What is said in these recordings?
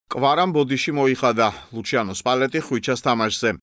კვარამ ბოდიში მოიხადა ლუჩიანო სპალეტი ხვიჩას თამაშზე.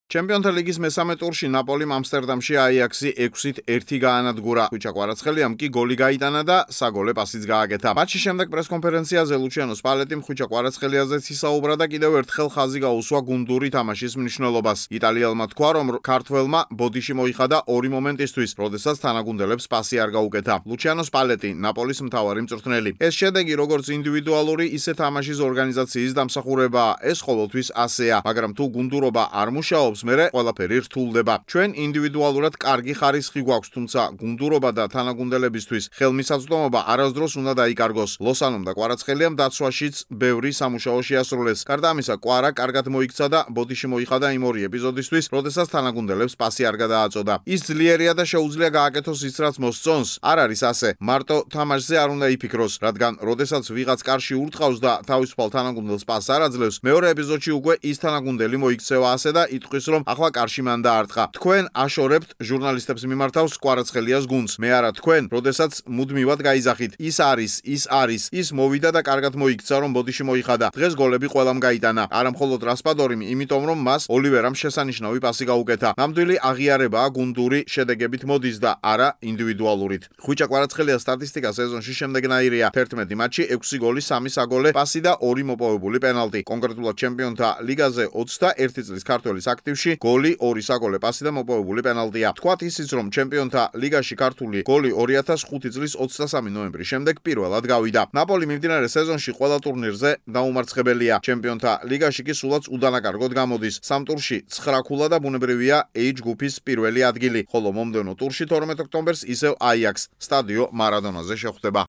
ჩემპიონთა ლიგის მესამე ტურში ნაპოლიმ ამსტერდამში აიაქსი 6-1 გაანადგურა. ხვიჩა კვარაცხელიამ კი გოლი გაიტანა და საგოლე პასიც გააკეთა. მატჩის შემდეგ პრესკონფერენციაზე ლუჩიანო სპალეტიმ ხვიჩა კვარაცხელიაზეც ისაუბრა და კიდევ ერთხელ ხაზი გაუსვა გუნდური თამაშის მნიშვნელობას. იტალიელმა თქვა, რომ ქართველმა ბოდიში მოიხადა ორი მომენტისთვის, როდესაც თანაგუნდელებს პასი არ გაუკეთა. ლუჩიანო სპალეტი, ნაპოლის მთავარი მწვრთნელი. ეს შედეგი როგორც ინდივიდუალური, ისე თამაშის ორგანიზაციის დამსახურებაა. ეს ყოველთვის ასეა, მაგრამ თუ გუნდურობა არ მუშაობს, მერე ყველაფერი რთულდება. ჩვენ ინდივიდუალურად კარგი ხარისხი გვაქვს, თუმცა გუნდურობა და თანაგუნდელებისთვის ხელმისაწვდომობა არასდროს უნდა დაიკარგოს. ლოსანომ და კვარაცხელიამ დაცვაშიც ბევრი სამუშაო შეასრულეს. გარდა ამისა, კვარა კარგად მოიქცა და ბოდიში მოიხადა იმ ორი ეპიზოდისთვის, როდესაც თანაგუნდელებს პასი არ გადააწოდა. ის ძლიერია და შეუძლია გააკეთოს ის, რაც მოსწონს. არ არის ასე. მარტო თამაშზე არ უნდა იფიქროს, რადგან როდესაც ვიღაც კარში ურტყავს და თავისუფალ თანაგუნდელს პასს არ აძლევს, მეორე ეპიზოდში უკვე ის თანაგუნდელი მოიქცევა ასე და იტყვის, რომ ახლა კარში მან დაარტყა. თქვენ აშორებთ ჟურნალისტებს მიმართავს კვარაცხელიას გუნდს. მე არა თქვენ, როდესაც მუდმივად გაიზახით. ის არის, ის მოვიდა და კარგად მოიქცა, რომ ბოდიში მოიხადა. დღეს გოლები ყველამ გაიტანა. არა მხოლოდ რასპადორიმ, იმიტომ რომ მას ოლივერამ შესანიშნავი პასი გაუკეთა. ნამდვილი აღიარებაა გუნდური შედეგებით მოდის და არა ინდივიდუალურით. ხვიჩა კვარაცხელიას სტატისტიკა სეზონში შემდეგნაირია: 11 მატჩი, 6 გოლი, 3 საგოლე პასი და 2 მოპოვებული პენალტი. კონკრეტულად ჩემპიონთა ლიგაზე 21 წლის ქართველის აქტივში გოლი, 2 საგოლე პასი და მოპოვებული პენალტია. თქვათ ისიც, რომ ჩემპიონთა ლიგაში ქართული გოლი 2005 წლის 23 ნოემბრის შემდეგ პირველად გავიდა. ნაპოლი მიმდინარე სეზონში ყველა ტურნირზე დაუმარცხებელია. ჩემპიონთა ლიგაში კი სულაც უდანაკარგოდ გამოდის. სამ ტურში 9 ქულა და ბუნებრივია H ჯგუფის პირველი ადგილი, ხოლო მომდევნო ტურში 12 ოქტომბერს ისევ აიაქსს სტადიო მარადონაზე შეხვდება.